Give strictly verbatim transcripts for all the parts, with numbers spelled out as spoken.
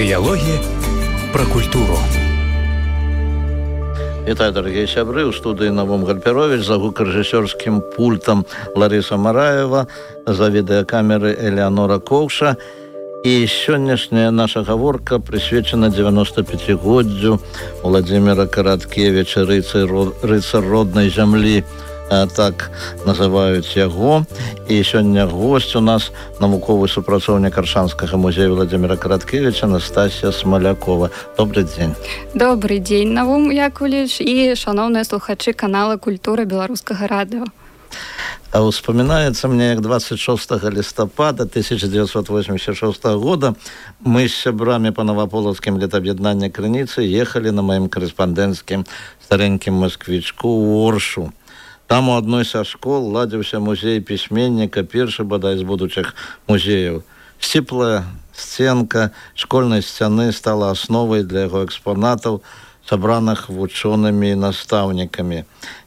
Дыялогі пра культуру. Вітаю, дорогие сябры, у студыі Навум Гальперович, за гукарэжысёрскім пультам Лариса Мараева, за відэакамеры Элеонора Коўша. І сённяшняя наша гаворка прысвечана дзевяностапяцігоддзю Владзіміра Караткевіча, рыцар роднай зямлі, так называюць яго. І сёння госць у нас навуковы супрацоўнік Аршанскага музея Владзіміра Караткевіча Настасія Смалякова. Добрый дзень. Добрый дзень, Навум Яковлевич і шановныя слухачы канала Культура беларускага радыё. А успоминается мне, як двадцать шестого листопада тысяча девятьсот восемьдесят шестого года мы с сябрами по Новополоцким летаб'яднання Крыніцы ехали на моим корреспондентским стареньким москвичку у Оршу. Там у одной со школ ладзіўся музей пісьменніка, першы бадай з будучых музеяў. Сціплая сценка школьнай сцяны стала асновай для яго экспонатаў, сабраных вучонымі і настаўнікамі.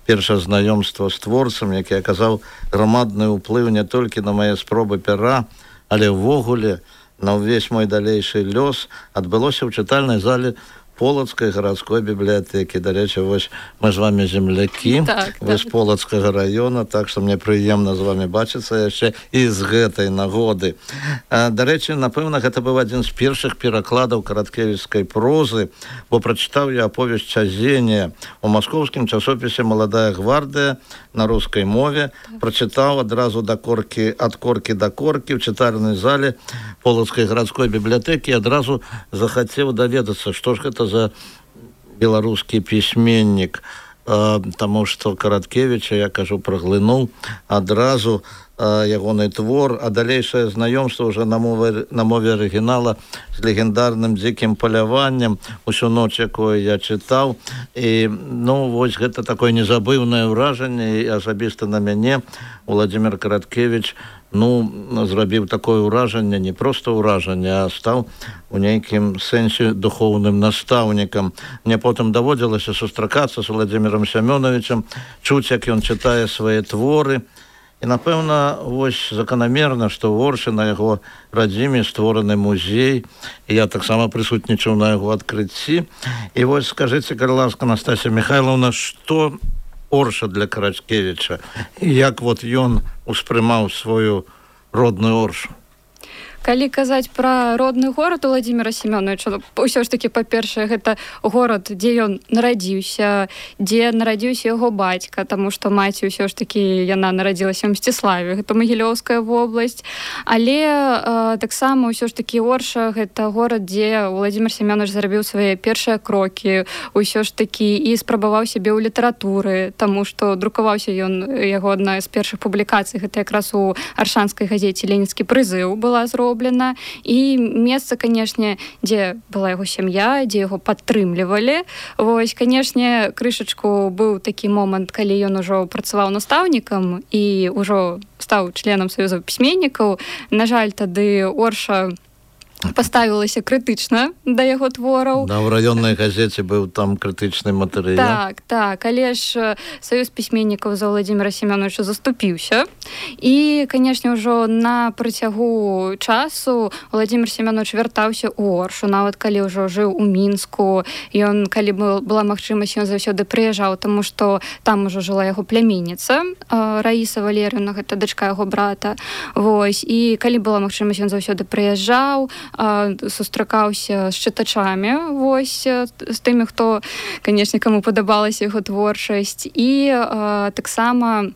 Першае знаёмства з творцам, які аказаў грамадны ўплыў не толькі на мае спробы пера, але ўвогуле на ўвесь мой далейшы лёс, адбылося ў чытальнай зале Полацкай гарадской бібліятэкі. Дарэчы, вось мы з вами землякі, так, вы так. з Полацкага раёна, так што мне прыемна з вами бачыцца яшчэ і з гэтай нагоды. Дарэчы, напэўна, гэта быў адзін з першых перакладаў караткевічскай прозы, бо прачытаў я аповесць Чазенія у маскоўскім часопісе «Маладая гвардыя» на рускай мове, прачытаў адразу да коркі, ад коркі да коркі ў чытальнай зале Полацкай гарадской бібліятэкі і адразу захацеў даведацца, што ж гэта за беларускі пісьменнік, таму што Караткевіча, я кажу, праглынуў адразу ягоны твор, а далейшае знаёмства ўжо на мове, на мове арыгінала з легендарным дзікім паляваннем, усю ноч, якое я чытаў. І, ну, вось гэта такое незабыўнае ўражанне, і асабіста на мяне Владзімір Караткевіч, ну, зрабіў такое ўражанне, не проста ўражанне, а стаў у нейкім сэнсе духоўным настаўнікам. Мне потым даводзілася сустракацца з Владзімірам Сямёнавічам, чуць, як ён чытае свае творы. І, напэўна, вось заканамерна, што ў Оршы на яго радзіме створаны музей, і я таксама прысутнічаў на яго адкрыцці. І вось скажыце, калі ласка, Настасія Михайловна, што Орша для Караткевіча, і як вот ён успрымаў сваю родную Оршу? Калі казаць пра родны горад Владзіміра Семёновича, ўсё ж такі, па-першае, гэта горад, дзе ён нарадзіўся, дзе нарадзіўся яго бацька, таму што маці ўсё ж такі яна нарадзілася ў Мсціславе, гэта Магілёўская вобласць. Але э, таксама ўсё ж такі Орша гэта горад, дзе Владзімір Семёнович зарабіў свае першыя крокі, ўсё ж такі і спрабаваў сябе ў літаратуры, таму што друкаваўся ён, яго адна з першых публікацый, гэта якраз у аршанскай газеце «Ленінскі прызыў» была зроблена. І месца, канешне, дзе была яго сям'я, дзе яго падтрымлівалі. Вось, канешне, крышачку быў такі момант, калі ён ужо працаваў настаўнікам і ўжо стаў членам Саюза пісьменнікаў. На жаль, тады Орша паставілася крытычна да яго твораў. Да, ў раённай газеце быў там крытычны матэрыял. Так, так, але ж Саюз пісьменнікаў за Владзіміра Семёновича заступіўся. І, канешне, ўжо на працягу часу Владзімір Семёнович вяртаўся ў Оршу, нават калі ўжо жыў у Мінску. Ён, калі была магчымасць, ён заўсёды прыязджаў, таму што там ужо жыла яго пляменніца, Раіса Валерыўна, гэта дачка яго брата. Вось, і калі была магчымасць, ён заўсёды прыязджаў, сустракаўся з чытачамі, вось, з тымі, хто, канешне, каму падабалася яго творчасць. І а, таксама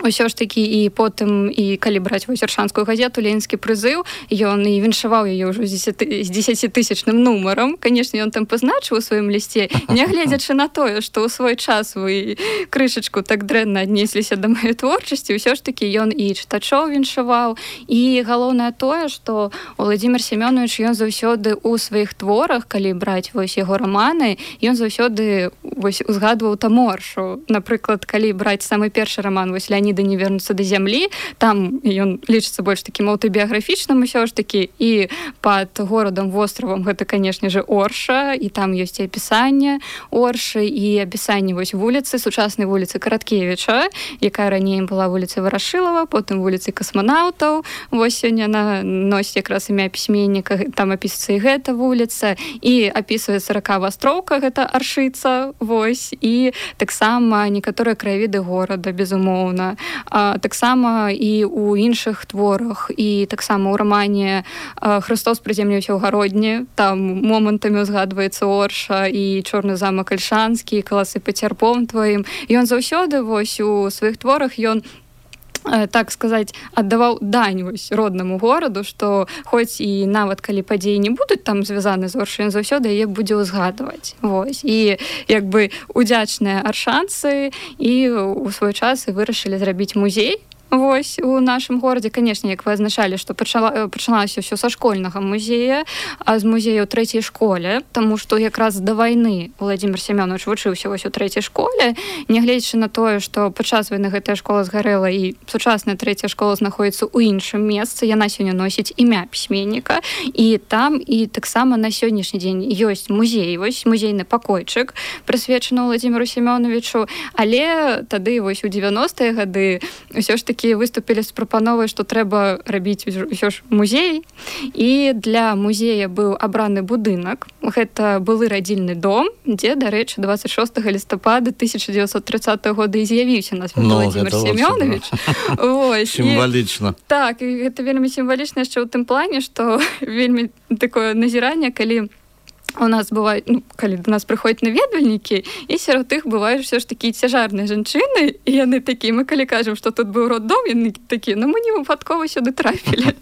ўсё ж такі і потым, і калі браць вось аршанскую газету «Ленінскі прызыў», ён і віншаваў яе ўжо з дзесяцітысячным нумарам. Канешне, ён там пазначыў у сваім лісце, нягледзячы на тое, што ў свой час вы крышачку так дрэнна аднесліся да маёй творчасці, ўсё ж такі ён і чытачоў віншаваў. І галоўнае тое, што Владзімір Семёнович, ён заўсёды ў сваіх творах, калі браць вось яго раманы, ён заўсёды вось узгадваў там Оршу. Напрыклад, калі браць самы першы раман, вось леаніда не вернуцца да зямлі. Там ён лічыцца больш такім аўтабіяграфічным усё ж такі, і пад горадам востравам гэта, канешне же, Орша, і там ёсць і апісанне Оршы, і апісанне вось вуліцы, сучаснай вуліцы Караткевіча, якая раней была вуліцай Варашылава, потым вуліцай касманаўтаў. Вось сёння яна носіць якраз імя пісьменніка, там апісваецца і гэта вуліца, і апісваецца рака Вастроўка, гэта Аршыца, вось, і таксама некаторыя краявіды горада, безумоўна. А, таксама і ў іншых творах, і таксама ў рамане «Христос прыземліўся ў гародні», там момантамі узгадваецца Орша і чорны замак Альшанскі, каласы пад цярпом тваім. Ён заўсёды вось у сваіх творах ён, так сказаць, аддаваў дань вось роднаму гораду, што хоць і нават калі падзеі не будуць там звязаны з Оршай, ён заўсёды яе будзе ўзгадваць. Вось. І як бы удзячныя аршанцы і ў свой час і вырашылі зрабіць музей вось у нашым горадзе. Канешне, як вы азначалі, што пачала, пачалася ўсё са школьнага музея, а з музея ў трэцяй школе, таму што якраз да вайны Владзімир Семёнович вучыўся вось у трэцяй школе, нягледзячы на тое, што падчас вайны гэтая школа згарэла і сучасная трэцяя школа знаходзіцца ў іншым месцы, яна сёння носіць імя пісьменніка, і там і таксама на сённяшні дзень ёсць музей, вось музейны пакойчык, прысвечаны Владзімиру Семёновичу, але тады вось у дзевяностыя гады ўсё ж такі выступілі з прапановай, што трэба рабіць ўсё ж музей, і для музея быў абраны будынак. Гэта былы радзільны дом, дзе, дарэчы, дваццаць шостага лістапада тысяча дзевяцьсот трыццатага года і з'явіўся нас ну, Владзімир Семёнович. Сімвалічна. Так, і гэта вельмі сімвалічна яшчэ ў тым плане, што вельмі такое назіранне, калі у нас бывает, ну, калі до нас прыходзяць наведвальнікі, і сярод іх бываюць все ж такі цяжарныя жанчыны, і яны такія, мы калі кажам, што тут быў роддом, яны такія, ну мы не выпадкова сюды трапілі.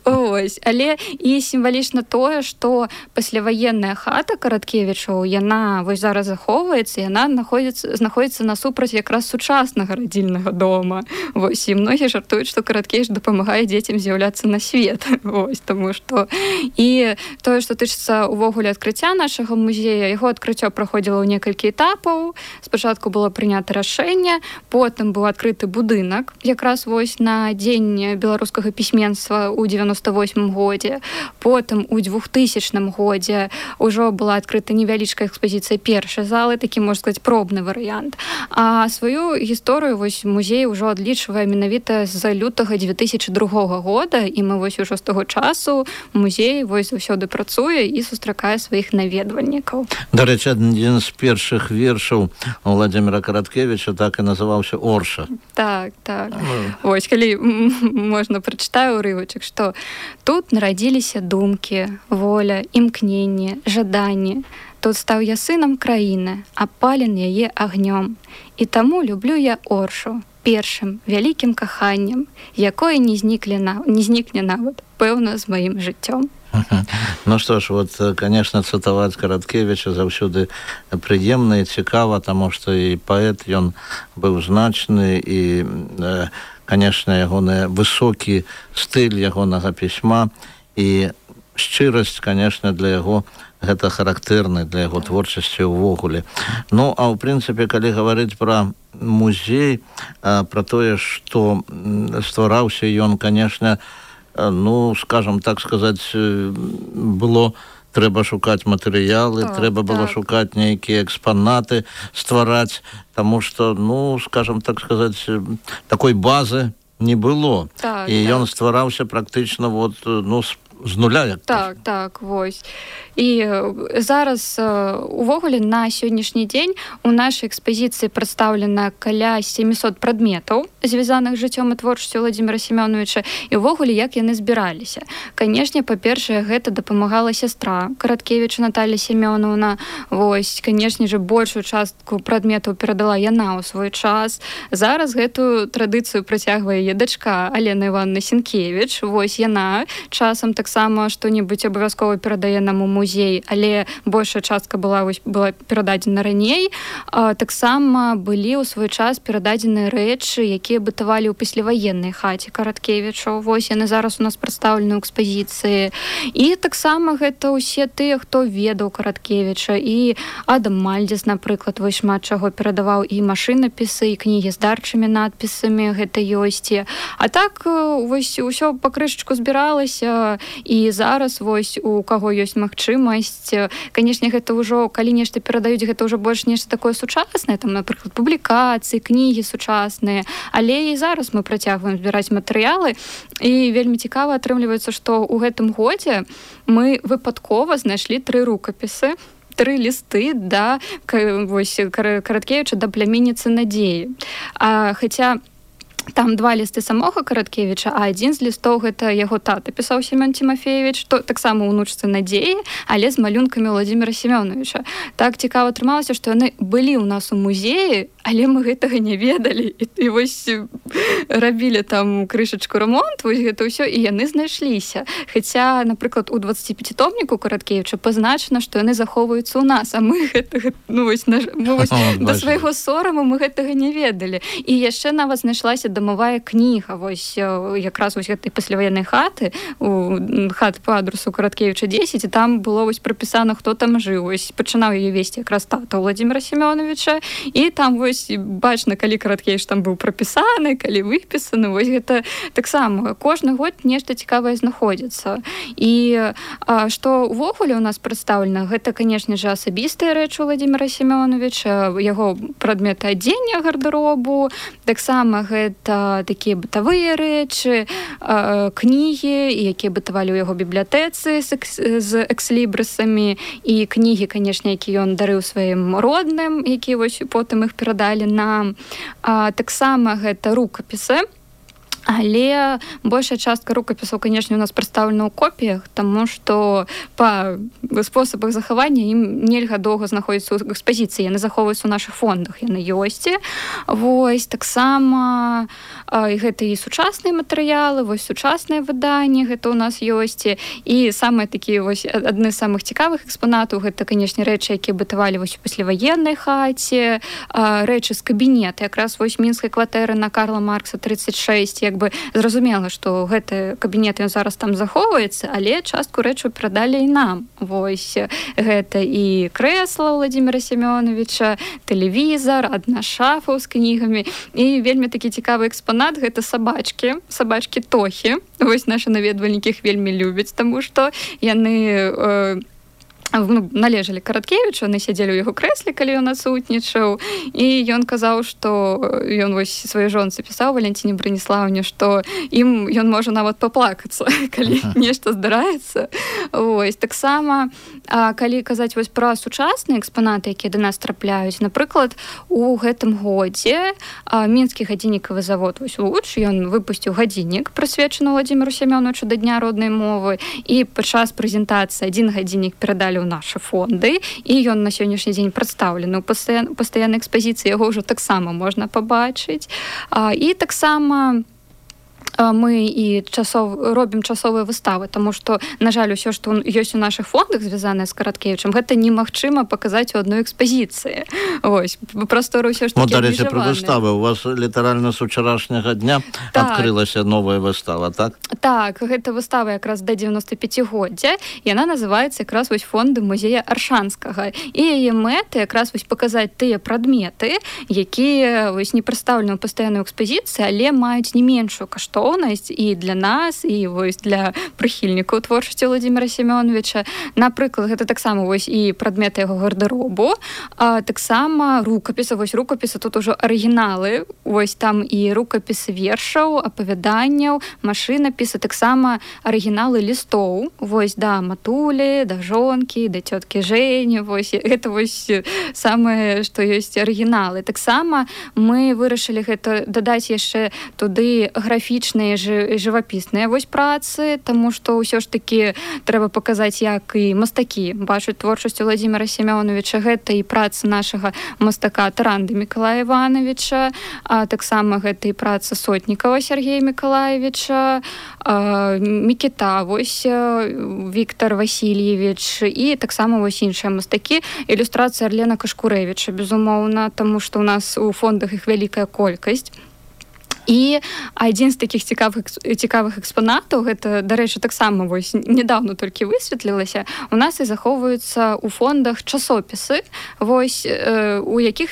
Ось. Але і сімвалічна тое, што пасляваенная хата Караткевічаў, яна вось зараз захоўваецца, яна знаходзіцца насупраць якраз сучаснага радзільнага дома. Вось. І многія жартуюць, што Караткевіч дапамагае дзецям з'яўляцца на свет. Вось. Таму што і тое, што тычыцца увогуле адкрыцця нашага музея, яго адкрыццё праходзіла ў некалькі этапаў. Спачатку было прынята рашэнне, потым быў адкрыты будынак, якраз вось на дзень беларускага пісьменства ў дзевяноста восьмым годзе. Потым у двухтысячным годзе ўжо была адкрыта невялічкая экспазіцыя першай залы, такі, можна сказаць, пробны варыянт. А сваю гісторыю вось музей ўжо адлічвае менавіта з лютага дзве тысячы другога года, і мы вось ужо з таго часу музей вось заўсёды працуе і сустракае сваіх наведвальнікаў. Дарэчы, адзін з першых вершаў Владзіміра Караткевіча так і называўся Орша. Так, так. Вось, калі можна прачытаю ўрывачак, што тут нарадзіліся думкі, воля, імкненне, жаданне. Тут стаў я сынам краіны, апален яе агнём. І таму люблю я Оршу першым вялікім каханнем, якое не знікне нават, пэўна, з маім жыццём. Ну что ж, вот, конечно, цытаваць Караткевіча заўсёды прыемна і цікава, таму што і паэт, ён быў значны, і, конечно, ягоны высокі стыль ягонага пісьма і шчырасць, конечно, для яго гэта характэрны для яго творчасці ўвогуле. Ну, а ў прынцыпе, калі гаварыць пра музей, пра тое, што ствараўся ён, конечно, ну, скажем так сказаць, было трэба шукаць матэрыялы, так, трэба было так. шукаць нейкія экспанаты, ствараць, таму што, ну, скажем так сказаць, такой базы не было. Так, і так. ён ствараўся практычна вот, ну, з, з нуля. Так, так, вось. І зараз увогуле на сённяшні дзень у нашай экспазіцыі прадстаўлена каля сямісот прадметаў, звязаных з жыццём і творчасцю Владзіміра Семёновича, і ўвогуле як яны збіраліся. Канешне, па-першае, гэта дапамагала сястра Караткевіча Наталья Семёновна. Вось, канешне же, большую частку прадметаў перадала яна ў свой час. Зараз гэтую традыцыю працягвае яе дачка Алена Івановна Сенкевіч. Вось яна часам таксама таксама што-небудзь абавязкова перадае нам у музей, але большая частка была вось, была перададзена раней. А, таксама былі ў свой час перададзеныя рэчы, якія бытавалі ў пасляваеннай хаце Караткевіча. Вось яны зараз у нас прадстаўлены ў экспазіцыі. І таксама гэта ўсе тыя, хто ведаў Караткевіча. І Адам Мальдзес, напрыклад, вось шмат чаго перадаваў, і машынапісы, і кнігі з дарчымі надпісамі гэта ёсць. А так вось усё па крышачку збіралася, і зараз вось у каго ёсць магчымасць, канешне, гэта ўжо, калі нешта перадаюць, гэта ўжо больш нешта такое сучаснае, там, напрыклад, публікацыі, кнігі сучасныя, але і зараз мы працягваем збіраць матэрыялы, і вельмі цікава атрымліваецца, што ў гэтым годзе мы выпадкова знайшлі тры рукапісы, тры лісты да вось Караткевіча, да пляменніцы Надзеі. А, хаця там два лісты самога Караткевіча, а адзін з лістоў гэта яго тата пісаў Семён Тимофеевич, то таксама ўнучцы Надзеі, але з малюнкамі Владзіміра Семёновича. Так цікава атрымалася, што яны былі ў нас у музеі, але мы гэтага не ведалі. І, і вось рабілі там крышачку рамонт, вось гэта ўсё, і яны знайшліся. Хаця, напрыклад, у дваццаціпяцітомніку Караткевіча пазначана, што яны захоўваюцца ў нас, а мы гэтага, ну вось, наш, мы вось да свайго сораму мы гэтага не ведалі. І яшчэ нават знайшлася дамовая кніга, вось якраз вось гэтай пасляваеннай хаты, у хат по адресу Караткевіча дзесяць, і там было вось прапісана, хто там жыў. Вось пачынаў яе весці якраз тата Владзіміра Семёновича, і там вось бачна, калі Караткевіч там быў прапісаны, калі выпісаны, вось гэта таксама кожны год нешта цікавае знаходзіцца. І а, што ўвогуле ў нас прадстаўлена, гэта, канешне ж, асабістыя рэчы Владзіміра Семёновича, яго прадметы адзення гардэробу, таксама гэта такія бытавыя рэчы, кнігі, якія бытавалі ў яго бібліятэцы з экслібрысамі, і кнігі, канешне, якія ён дарыў сваім родным, якія вось потым іх перадалі нам. Таксама гэта рукапісы, але большая частка рукапісаў, канешне, у нас прадстаўлена ў копіях, таму што па спосабах захавання ім нельга доўга знаходзіцца ў экспазіцыі, яны захоўваюцца ў нашых фондах, яны ёсць. Вось таксама і гэта і сучасныя матэрыялы, вось сучасныя выданні гэта ў нас ёсць. І самыя такія вось адны з самых цікавых экспанатаў гэта, канешне, рэчы, якія бытавалі вось у пасляваеннай хаце, рэчы з кабінета, якраз вось мінскай кватэры на Карла Маркса тридцать шесть, як бы зразумела, што гэты кабінет ён зараз там захоўваецца, але частку рэчаў перадалі і нам. Вось гэта і крэсла Владзіміра Семёновича, тэлевізар, адна шафа з кнігамі, і вельмі такі цікавы экспанат гэта сабачкі, сабачкі Тохі. Вось нашы наведвальнікі іх вельмі любяць, таму што яны э, належалі Караткевічу, яны сядзелі ў яго крэсле, калі ён адсутнічаў, і ён казаў, што ён вось сваёй жонцы пісаў, Валянціне Браніслаўне, што ім ён можа нават паплакацца, калі uh-huh. нешта здараецца. Вось таксама, калі казаць вось пра сучасныя экспанаты, якія да нас трапляюць, напрыклад, у гэтым годзе мінскі гадзіннікавы завод вось Луч, ён выпусціў гадзіннік, прысвечаны Владзіміру Семёновичу да дня роднай мовы, і падчас прэзентацыі адзін гадзіннік перадалі ў нашы фонды, і ён на сённяшні дзень прадстаўлены ў пастаяннай пастаяннай экспазіцыі, яго ўжо таксама можна пабачыць. І таксама мы і часов робім часовыя выставы, таму што, на жаль, усё, што ёсць у нашых фондах, звязанае з Караткевічам, гэта немагчыма паказаць у адной экспазіцыі. Вось, прасторы ўсё ж такі абмежаваныя. Ну, дарэчы, пра выставы. У вас літаральна з учарашняга дня так. адкрылася новая выстава, так? Так, гэта выстава якраз да дзевяноста пяцігоддзя. Яна называецца якраз вось фонды музея Аршанскага. І яе мэты якраз вось паказаць тыя прадметы, якія вось не прадстаўлены ў пастаяннай экспазіцыі, але маюць не меншую каштоўнасць і для нас, і вось для прыхільнікаў творчасці Владзіміра Семёновича. Напрыклад, гэта таксама вось і прадметы яго гардэробу, а таксама рукапісы, вось рукапісы тут ужо арыгіналы, вось там і рукапісы вершаў, апавяданняў, машынапісы, таксама арыгіналы лістоў, вось да матулі, да жонкі, да цёткі Жэні, вось гэта вось самае, што ёсць арыгіналы. Таксама мы вырашылі гэта дадаць яшчэ туды графічны графічныя і жывапісныя вось працы, таму што ўсё ж такі трэба паказаць, як і мастакі бачаць творчасць Владзіміра Семёновича. Гэта і праца нашага мастака Таранды Мікалая Івановича, а таксама гэта і праца Сотнікава Сергея Мікалаевича, Мікіта вось Віктор Васильевич і таксама вось іншыя мастакі. Ілюстрацыя Арлена Кашкурэвіча, безумоўна, таму што ў нас у фондах іх вялікая колькасць. І адзін з такіх цікавых, цікавых экспанатаў, гэта, дарэчы, таксама вось недавно толькі высветлілася, у нас і захоўваюцца ў фондах часопісы, вось, э, у якіх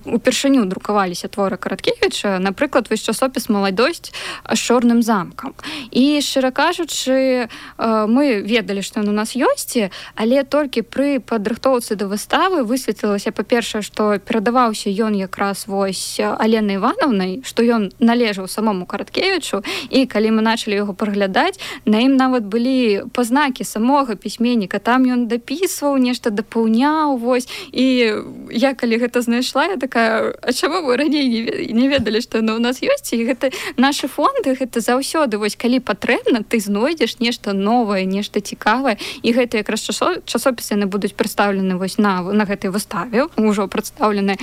упершыню друкаваліся творы Караткевіча, напрыклад, вось часопіс «Маладосць» з чорным замкам. І, шчыра кажучы, э, мы ведалі, што ён у нас ёсць, але толькі пры падрыхтоўцы да выставы высветлілася, па-першае, што перадаваўся ён якраз вось Аленай Івановнай, што ён належаў самому Караткевічу, і калі мы началі яго праглядаць, на ім нават былі пазнакі самога пісьменніка, там ён дапісваў, нешта дапаўняў, вось, і я калі гэта знайшла, я такая, а чаму вы раней не, не ведалі, што яно ў нас ёсць, і гэта нашы фонды, гэта заўсёды, вось, калі патрэбна, ты знойдзеш нешта новае, нешта цікавае, і гэта якраз часопісы яны будуць прадстаўлены вось на, на гэтай выставе, ужо прадстаўлены,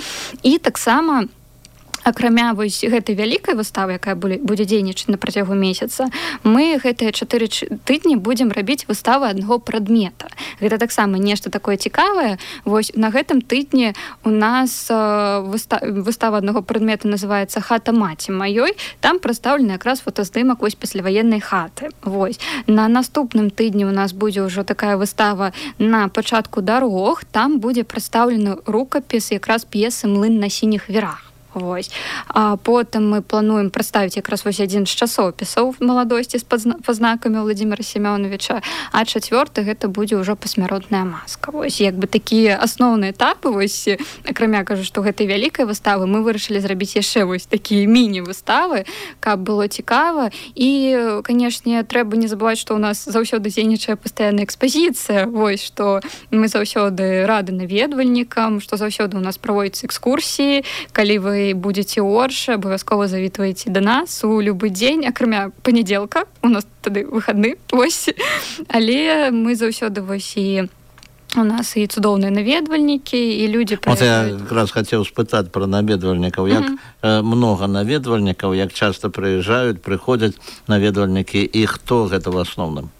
і таксама акрамя вось гэтай вялікай выставы, якая будзе дзейнічаць на працягу месяца, мы гэтыя чатыры тыдні будзем рабіць выставы аднаго прадмета. Гэта таксама нешта такое цікавае. Вось на гэтым тыдні у нас выстава аднаго прадмета называецца «Хата маці маёй». Там прадстаўлены якраз фотаздымак вось пасляваеннай хаты. Вось. На наступным тыдні у нас будзе ўжо такая выстава на пачатку дарог. Там будзе прадстаўлены рукапіс якраз п'есы «Млын на сініх вірах». Вось. А потым мы плануем прадставіць якраз вось адзін з часопісаў «Маладосці» з пазнакамі Владзіміра Семёновича, а чацвёрты гэта будзе ўжо «Пасмяротная маска». Вось, як бы такія асноўныя этапы, вось, акрамя, кажу, што гэтай вялікай выставы, мы вырашылі зрабіць яшчэ вось такія міні-выставы, каб было цікава. І, канешне, трэба не забываць, што ў нас заўсёды дзейнічае пастаянная экспазіцыя, вось, што мы заўсёды рады наведвальнікам, што заўсёды ў нас праводзяцца экскурсіі, калі вы будете ў Оршы, абавязкова завітвайце да нас у любы дзень, акрамя панядзелка, у нас тады выхадны, вось. Але мы заўсёды вось і у нас і цудоўныя наведвальнікі, і людзі Вот прыязджаюць. я якраз хацеў спытаць пра наведвальнікаў. Як mm-hmm. многа наведвальнікаў, як часта прыязджаюць, прыходзяць наведвальнікі, і хто гэта ў асноўным?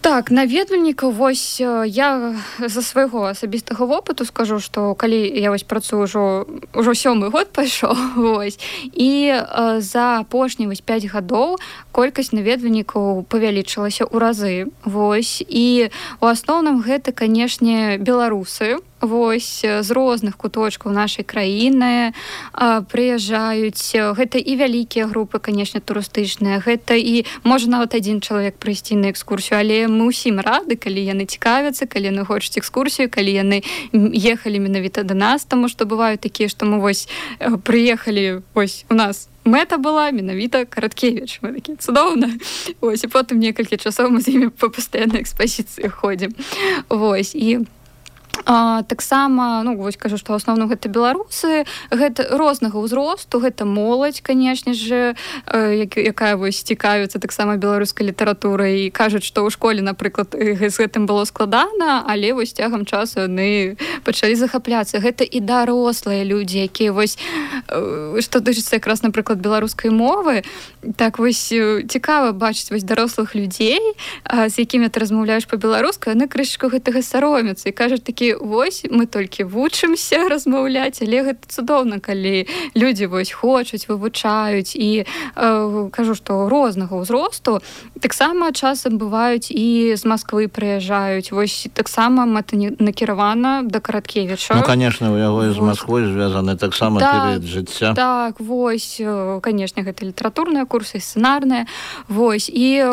Так, наведвальнікаў, вось я за свайго асабістага вопыту скажу, што калі я вось працую ўжо ўжо сёмы год пайшоў, вось, і э, за апошні вось пяць гадоў колькасць наведвальнікаў павялічылася ў разы, вось, і у асноўным гэта, канешне, беларусы, вось, з розных куточкаў нашай краіны а, прыязджаюць. Гэта і вялікія групы, канешне, турыстычныя, гэта і можа нават адзін чалавек прыйсці на экскурсію, але мы ўсім рады, калі яны цікавяцца, калі яны хочуць экскурсію, калі яны ехалі менавіта да нас, таму што бываюць такія, што мы вось прыехалі, вось у нас мэта была менавіта Караткевіч. Мы такі, цудоўна. Вось, і потым некалькі часоў мы з імі па пастаяннай экспазіцыі ходзім. Вось, і А, таксама, ну, вось кажу, што ў асноўным гэта беларусы, гэта рознага ўзросту, гэта моладзь, канешне ж, э, якая вось цікавіцца таксама беларускай літаратурай, і кажуць, што ў школе, напрыклад, з гэтым было складана, але вось цягам часу яны пачалі захапляцца. Гэта і дарослыя людзі, якія вось, э, што дычыцца якраз, напрыклад, беларускай мовы, так вось цікава бачыць вось дарослых людзей, э, з якімі ты размаўляеш па-беларуску, яны крышачку гэтага саромяцца і кажуць такі, вось, мы толькі вучымся размаўляць, але гэта цудоўна, калі людзі вось хочуць, вывучаюць, і э, кажу, што рознага ўзросту таксама часам бываюць і з Масквы прыязджаюць, вось таксама мэта накіравана да Караткевіча. Ну, конечно, у яго і з Масквой звязаны таксама так, перыяд жыцця. Так, вось, канешне, гэта літаратурныя курсы, сцэнарныя, вось, і,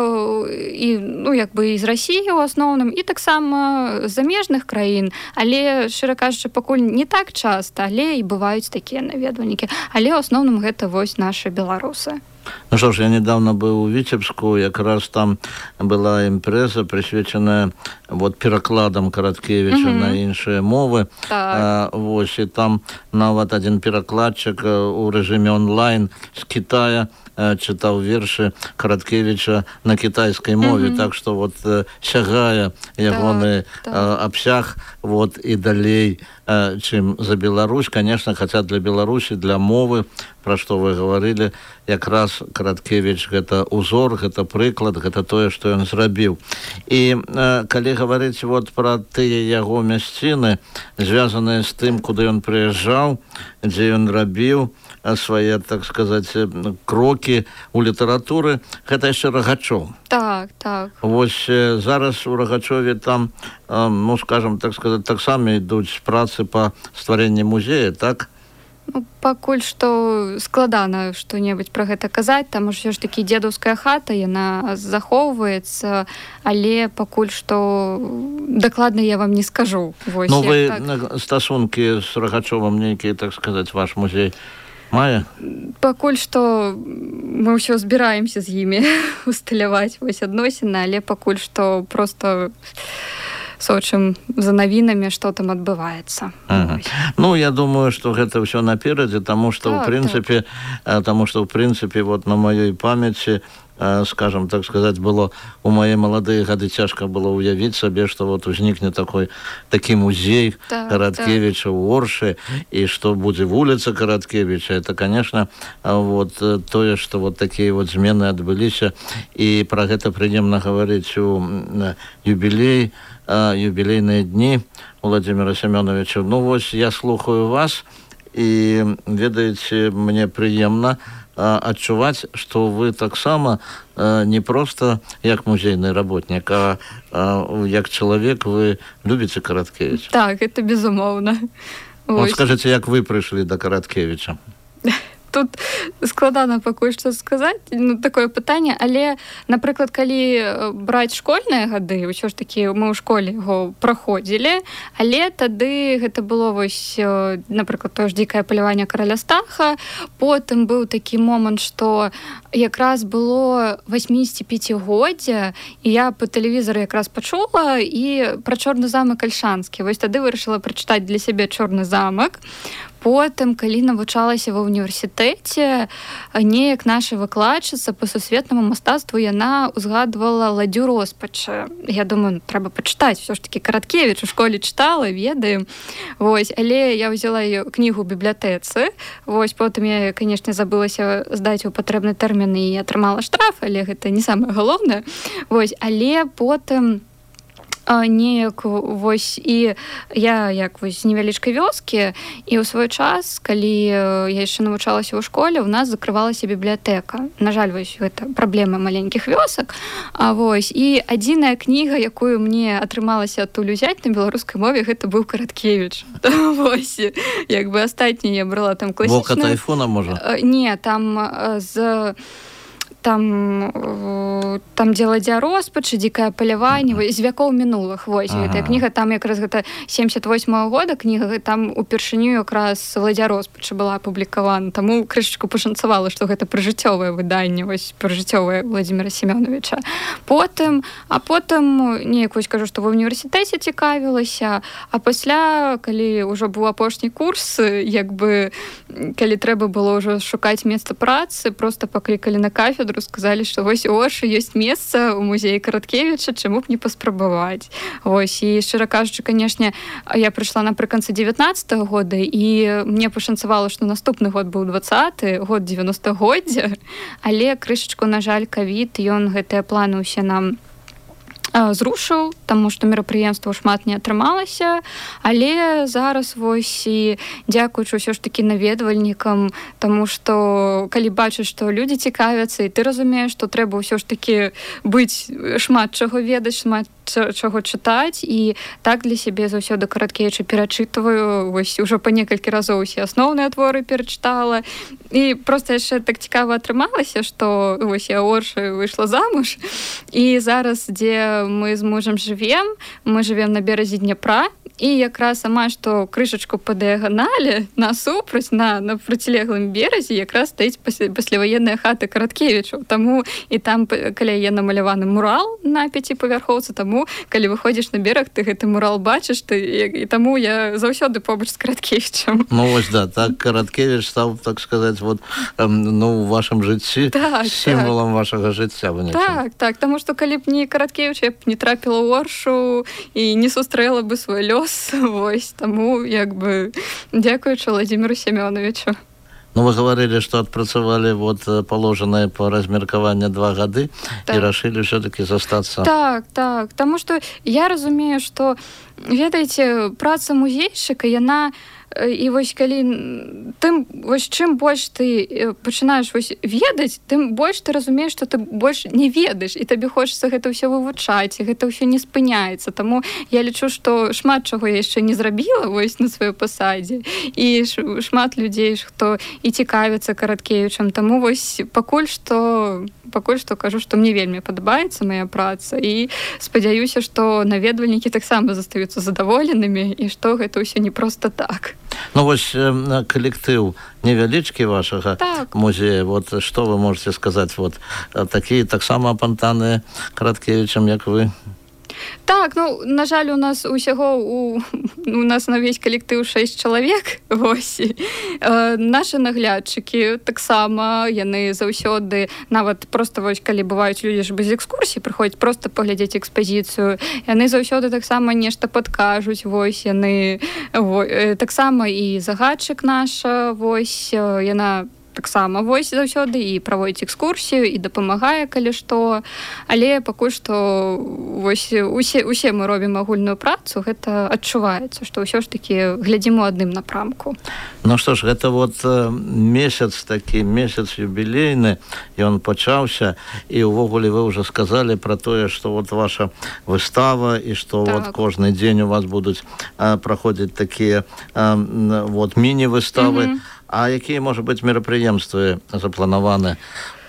і ну, як бы і з Расіі ў асноўным, і таксама з замежных краін, але, шчыра кажучы, пакуль не так часта, але і бываюць такія наведвальнікі. Але ў асноўным гэта вось нашы беларусы. Ну что ж, я недавно был у Витебску, как раз там была импреза, присвяченная вот перекладам Караткевича mm-hmm. на іншыя мовы. Так. А, вот, и там нават один перекладчик у режиме онлайн с Китая читал верши Караткевича на китайской мове, mm-hmm. так что вот сягая ягоны так, так. обсяг вот и далей, чем за Беларусь, конечно, хотя для Беларуси, для мовы, про что вы говорили, как раз Караткевич это узор, это приклад, это то, что он зрабіў. И э, коли говорить вот про тыя яго мясціны, связанные с тым, куда он приезжал, где он рабіў свои, так сказать, кроки у литературы, это еще Рогачев. Так, так. Вот зараз у Рогачеве там, ну, скажем, так сказать, так само идут працы по стварэнню музея, так? Ну, пакуль што складана што-небудзь пра гэта казаць, таму ўсё ж такі дзедаўская хата, яна захоўваецца, але пакуль што дакладна я вам не скажу. Вось, ну, вы так... стасункі з Рогачевым нейкія, так сказаць, ваш музей мае? Пакуль што мы ўсё збіраемся з імі усталяваць вось адносіны, але пакуль што проста сочым за навінамі, што там адбываецца. Ага. Ну, я думаю, што гэта ўсё наперадзе, таму што так, ў прынцыпе, так. таму што ў прынцыпе вот на маёй памяці, скажем, так сказать, было у мои молодые годы тяжко было уявить себе, что вот возникнет такой таки музей так, Караткевича так. в Орше, и что будет улица Караткевича. Это, конечно, вот то, что вот такие вот змены отбылись, и про это придем говорить у юбилей, юбилейные дни Владимира Семеновича. Ну вот я слухаю вас, и ведаете, мне приемно адчуваць, што вы таксама э, не проста як музейны работнік, а э, як чалавек вы любіце Караткевіча. Так, это безумоўна. Вот скажыце, як вы прыйшлі да Караткевіча? Тут складана пакуль што сказаць, ну, такое пытанне, але, напрыклад, калі браць школьныя гады, ўсё ж такі мы ў школе яго праходзілі, але тады гэта было вось, напрыклад, тое ж дзікае паляванне караля Стаха, потым быў такі момант, што якраз было восьмідзесяціпяцігоддзе, і я па тэлевізары якраз пачула і пра Чорны замак Альшанскі. Вось тады вырашыла прачытаць для сябе Чорны замак. Потым, калі навучалася ва ўніверсітэце, неяк наша выкладчыца па сусветнаму мастацтву, яна ўзгадвала ладдзю роспачы. Я думаю, трэба пачытаць, усё ж такі Караткевіч у школе чытала, ведаем. Вось, але я ўзяла её кнігу ў бібліятэцы. Вось, потым я, канешне, забылася здаць у патрэбны тэрмін і атрымала штраф, але гэта не самае галоўнае. Вось, але потым неяк вось і я як вось з невялічкай вёскі, і ў свой час, калі я яшчэ навучалася ў школе, у нас закрывалася бібліятэка. На жаль, вось гэта праблема маленькіх вёсак. А вось і адзіная кніга, якую мне атрымалася адтуль узяць на беларускай мове, гэта быў Караткевіч. Вось, як бы астатняе я брала там класічна. Вока тайфуна, можа? Не, там з там там дзе ладдзя роспачы, дзікае паляванне, uh-huh. з вякоў мінулых. Вось, uh-huh. гэтая кніга, там якраз гэта семьдесят восьмого года кніга, там упершыню якраз ладдзя роспачы была апублікавана. Таму крышачку пашанцавала, што гэта прыжыццёвае выданне, вось прыжыццёвае Владимира Семёновича. Потым, а потым неяк вось кажу, што ва ўніверсітэце цікавілася, а пасля, калі ўжо быў апошні курс, як бы калі трэба было ўжо шукаць месца працы, проста паклікалі на кафедру, сказалі, што вось у Оршы ёсць месца ў музеі Караткевіча, чаму б не паспрабаваць. Вось, і шчыра кажучы, канешне, я прыйшла напрыканцы дзевятнаццатага года, і мне пашанцавала, што наступны год быў дваццаты, год дзевяностагоддзя, але крышачку, на жаль, ковід, ён гэтыя планы ўсе нам зрушыў, таму што мерапрыемства шмат не атрымалася, але зараз вось і дзякуючы ўсё ж такі наведвальнікам, таму што калі бачыш, што людзі цікавяцца, і ты разумееш, што трэба ўсё ж такі быць шмат чаго ведаць, шмат чаго чытаць, і так для сябе заўсёды Караткевіча перачытваю, вось ужо па некалькі разоў усе асноўныя творы перачытала, і проста яшчэ так цікава атрымалася, што вось я ў Оршы выйшла замуж, і зараз, дзе мы з мужам жывем, мы жывем на беразе Дняпра, і якраз амаль што крышачку па дыяганалі насупраць на, на процілеглым беразе якраз стаіць пасляваенная хата Караткевічаў. Таму і там каля яе намаляваны мурал на пяціпавярхоўцы, таму калі выходзіш на бераг, ты гэты мурал бачыш, ты, і таму я заўсёды побач з Караткевічам. Ну вось да, так Караткевіч стаў, так сказаць, вот, ну, у вашым жыцці так, сімвалам так. вашага жыцця. Так, так, таму што калі б не Караткевіч, я б не трапіла ў Оршу і не сустрэла бы свой лёс. Вось, таму, як бы, дзякуючы Владимиру Семёновичу. Ну, вы говорили, что отпрацавали вот положенное по размеркаванню два гады так. и решили все-таки застаться. Так, так, таму што я разумею, што, ведаеце, праца музейшчыка, яна і вось калі тым вось чым больш ты пачынаеш вось ведаць, тым больш ты разумееш, што ты больш не ведаеш, і табе хочацца гэта ўсё вывучаць, і гэта ўсё не спыняецца. Таму я лічу, што шмат чаго я яшчэ не зрабіла вось на сваёй пасадзе, і шмат людзей, хто і цікавіцца Караткевічам. Таму вось пакуль што пакуль што кажу, што мне вельмі падабаецца мая праца, і спадзяюся, што наведвальнікі таксама застаюцца задаволенымі, і што гэта ўсё не проста так. Ну вось калектыў невялічкі вашага так. музея, вот што вы можете сказаць, вот такія таксама апантаныя Караткевічам, як вы? Так, ну, на жаль, у нас усяго у, у нас на весь калектыў шэсць чалавек, вось. Э, нашы наглядчыкі таксама, яны заўсёды, нават проста вось, калі бываюць людзі ж без экскурсій, прыходзяць проста паглядзець экспазіцыю, яны заўсёды таксама нешта падкажуць, вось, яны во, э, таксама і загадчык наша, вось, э, яна таксама вось заўсёды і праводзіць экскурсію і дапамагае, калі што, але пакуль што вось усе, усе мы робім агульную працу, гэта адчуваецца, што ўсё ж такі глядзім у адным напрамку. Ну што ж, гэта вот месяц такі, месяц юбілейны, ён пачаўся, і ўвогуле вы ўжо сказалі пра тое, што вот ваша выстава, і што так. вот кожны дзень у вас будуць а, праходзіць такія а, вот міні-выставы. Mm-hmm. А якія, можа быць, мерапрыемствы запланаваны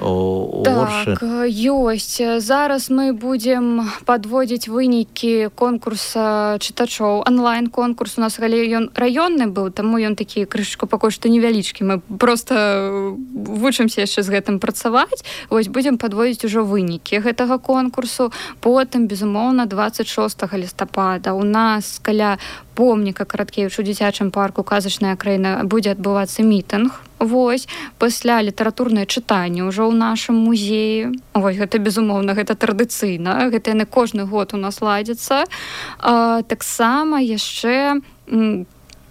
у Оршы? Так, ёсць. Зараз мы будзем падводзіць вынікі конкурса чытачоў. Онлайн-конкурс у нас ён раённы быў, таму ён такі крышачку пакуль што невялічкі. Мы проста вучымся яшчэ з гэтым працаваць. Вось будзем падводзіць ужо вынікі гэтага конкурсу. Потым, безумоўна, дваццаць шостага лістапада у нас каля помніка Караткевічу ў дзіцячым парку «Казачная краіна» будзе адбывацца мітынг. Вось, пасля літаратурнае чытанне ўжо ў нашым музеі. Вось, гэта, безумоўна, гэта традыцыйна. Гэта яны кожны год у нас ладзяцца. А, таксама яшчэ...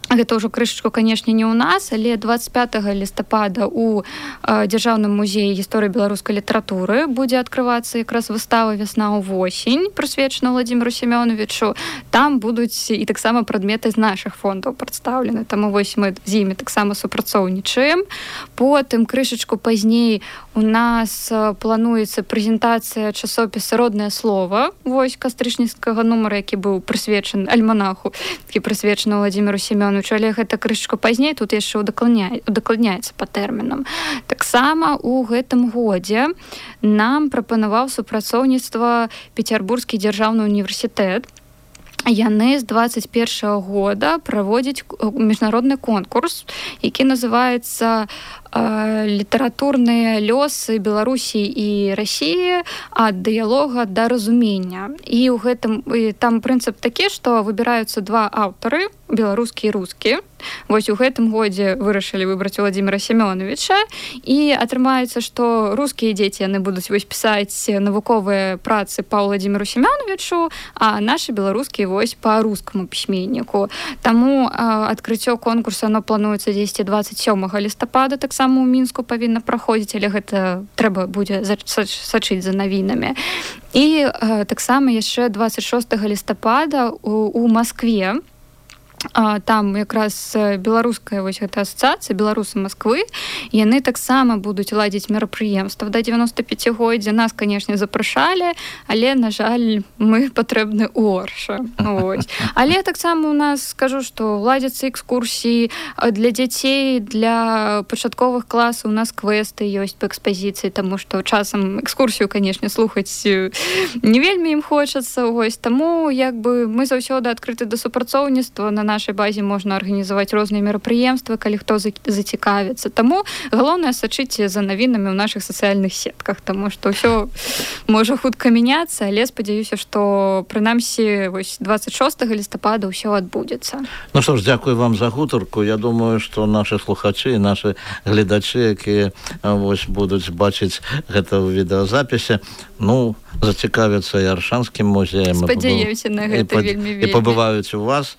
Гэта ўжо крышачку, канешне, не ў нас, але дваццаць пятага лістапада ў э, Дзяржаўным музеі гісторыі беларускай літаратуры будзе адкрывацца якраз выстава «Вясна ў восень», прысвечана Владимиру Семёновичу. Там будуць і таксама прадметы з нашых фондаў прадстаўлены. Таму вось мы з імі таксама супрацоўнічаем. Потым крышачку пазней у нас плануецца прэзентацыя часопіса «Роднае слово». Вось кастрычніцкага нумара, які быў прысвечаны альманаху, які прысвечаны Владимиру Семёновичу. Але гэта крышачку пазней, тут яшчэ удакладняецца па тэрмінам. Таксама ў гэтым годзе нам прапанаваў супрацоўніцтва Пецярбургскі дзяржаўны універсітэт. Яны з дваццаць першага года праводзяць міжнародны конкурс, які называецца літаратурныя лёсы Беларусі і Расіі ад дыялога да разумення. І ў гэтым і там прынцып такі, што выбіраюцца два аўтары, беларускі і рускі. Вось у гэтым годзе вырашылі выбраць Владимира Семёновича, і атрымаецца, што рускія дзеці яны будуць вось пісаць навуковыя працы па Владимиру Семёновичу, а нашы беларускія вось па рускаму пісьменніку. Таму а, адкрыццё конкурса оно плануецца дзесьці дваццаць сёмага лістапада, так само ў Мінску павінна праходзіць, але гэта трэба будзе сачыць за навінамі. І э, таксама яшчэ дваццаць шостага лістапада у, у Маскве там якраз беларуская вось гэта асацыяцыя беларусы Москвы, яны таксама будуць ладзіць мерапрыемства да девяносто пяцігоддзя. Нас, канешне, запрашалі, але, на жаль, мы патрэбны ў Оршы. Ось. Але таксама у нас, скажу, што ладзяцца экскурсіі для дзяцей, для пачатковых класаў, у нас квесты ёсць па экспазіцыі, таму што часам экскурсію, канешне, слухаць не вельмі ім хочацца. Ось. Таму як бы мы заўсёды адкрыты да супрацоўніцтва. На нашай базе можна арганізаваць розныя мерапрыемствы, калі хто зацікавіцца. Таму галоўнае сачыце за навінамі ў нашых сацыяльных сетках, таму што ўсё можа хутка мяняцца, але спадзяюся, што прынамсі вось двадцать шостага лістапада ўсё адбудзецца. Ну што ж, дзякую вам за гутарку. Я думаю, што нашы слухачы і нашы гледачы, якія вось будуць бачыць гэта ў відэазапісе, ну, зацікавяцца і Аршанскім музеем. Спадзяюся на гэта вельмі вельмі. І пабываюць у вас.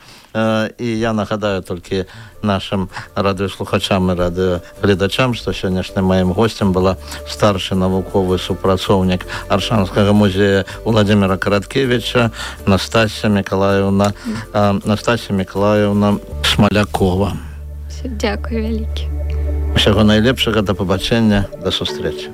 І я нагадаю толькі нашим радыёслухачам і радыёгледачам, што сённяшнім маім госцем была старшы навуковы супрацоўнік Аршанскага музея Владимира Караткевича Настасья Миколаевна Настасья Миколаевна Смалякова. Дзякую вялікі. Усяго найлепшага, да пабачэння, да сустрэчы.